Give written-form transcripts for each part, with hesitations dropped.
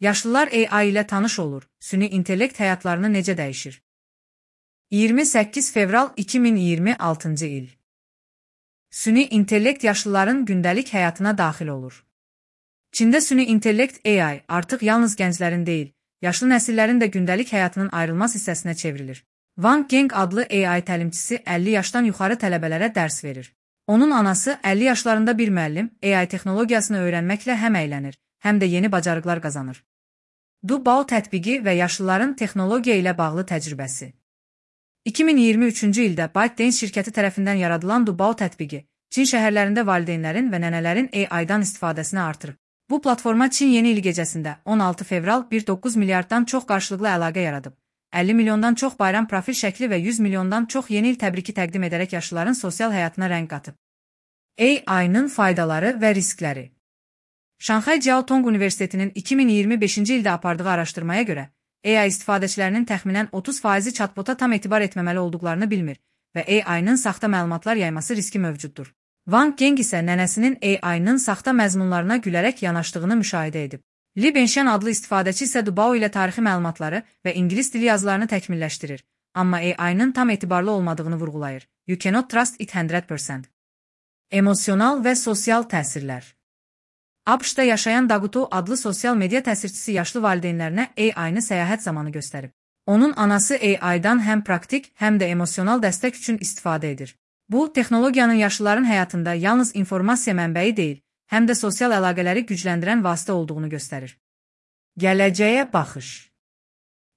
Yaşlılar AI ilə tanış olur. Süni intellekt həyatlarını necə dəyişir? 28 fevral 2026-cı il. Süni intellekt yaşlıların gündəlik həyatına daxil olur. Çində süni intellekt AI artıq yalnız gənclərin deyil, yaşlı nəsillərin də gündəlik həyatının ayrılmaz hissəsinə çevrilir. Wang Geng adlı AI təlimçisi 50 yaşdan yuxarı tələbələrə dərs verir. Onun anası 50 yaşlarında bir müəllim AI texnologiyasını öyrənməklə həm əylənir, həm də yeni bacarıqlar qazanır. Dubao tətbiqi və yaşlıların texnologiya ilə bağlı təcrübəsi. 2023-cü ildə ByteDance şirkəti tərəfindən yaradılan Dubao tətbiqi, Çin şəhərlərində valideynlərin və nənələrin AI-dan istifadəsini artırıb. Bu platforma Çin yeni il gecəsində 16 fevral 1,9 milyarddan çox qarşılıqlı əlaqə yaradıb. 50 milyondan çox bayram profil şəkli və 100 milyondan çox yeni il təbriki təqdim edərək yaşlıların sosial həyatına rəng qatıb. AI-nın faydaları və riskləri. Şanxay Jiaotong Universitetinin 2025-ci ildə apardığı araşdırmaya görə, AI istifadəçilərinin təxminən 30% chatbota tam etibar etməməli olduqlarını bilmir və AI-nın saxta məlumatlar yayması riski mövcuddur. Wang Geng isə nənəsinin AI-nın saxta məzmunlarına gülərək yanaşdığını müşahidə edib. Li Benxian adlı istifadəçi isə Dubao ilə tarixi məlumatları və ingilis dili yazılarını təkmilləşdirir, amma AI-nın tam etibarlı olmadığını vurğulayır. You cannot trust it 100%. Emosional və sosial təsirlər. ABŞ-da yaşayan Daguto adlı sosial media təsirçisi yaşlı valideynlərinə AI-nı səyahət zamanı göstərib. Onun anası AI-dan həm praktik, həm də emosional dəstək üçün istifadə edir. Bu, texnologiyanın yaşlıların həyatında yalnız informasiya mənbəyi deyil, həm də sosial əlaqələri gücləndirən vasitə olduğunu göstərir. Gələcəyə baxış.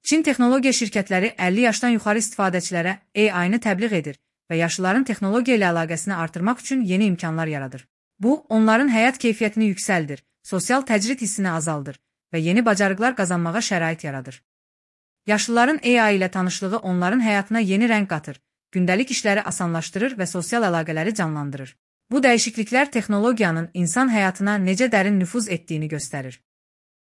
Çin texnologiya şirkətləri 50 yaşdan yuxarı istifadəçilərə AI-nı təbliğ edir və yaşlıların texnologiya ilə əlaqəsini artırmaq üçün yeni imkanlar yaradır. Bu, onların həyat keyfiyyətini yüksəldir, sosial təcrid hissini azaldır və yeni bacarıqlar qazanmağa şərait yaradır. Yaşlıların AI ilə tanışlığı onların həyatına yeni rəng qatır, gündəlik işləri asanlaşdırır və sosial əlaqələri canlandırır. Bu dəyişikliklər texnologiyanın insan həyatına necə dərin nüfuz etdiyini göstərir.